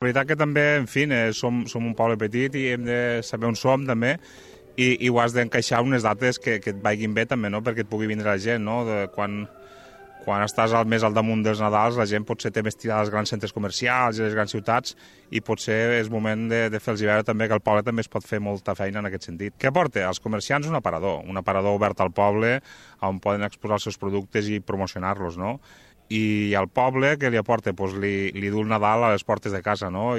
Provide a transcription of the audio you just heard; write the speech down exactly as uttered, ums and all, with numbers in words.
La veritat que també, en fi, eh, som, som un poble petit i hem de saber on som també i, i ho has d'encaixar unes dates que, que et vagin bé també, no?, perquè et pugui vindre la gent, no? De quan, quan estàs al, més al damunt dels Nadals la gent potser té més tirada als grans centres comercials i les grans ciutats i potser és moment de, de fer-los veure també que el poble també es pot fer molta feina en aquest sentit. Què aporta? Als comerciants un aparador, un aparador obert al poble on poden exposar els seus productes i promocionar-los, no? I al poble, què li aporta? Pues li, li du el Nadal a les portes de casa, no? I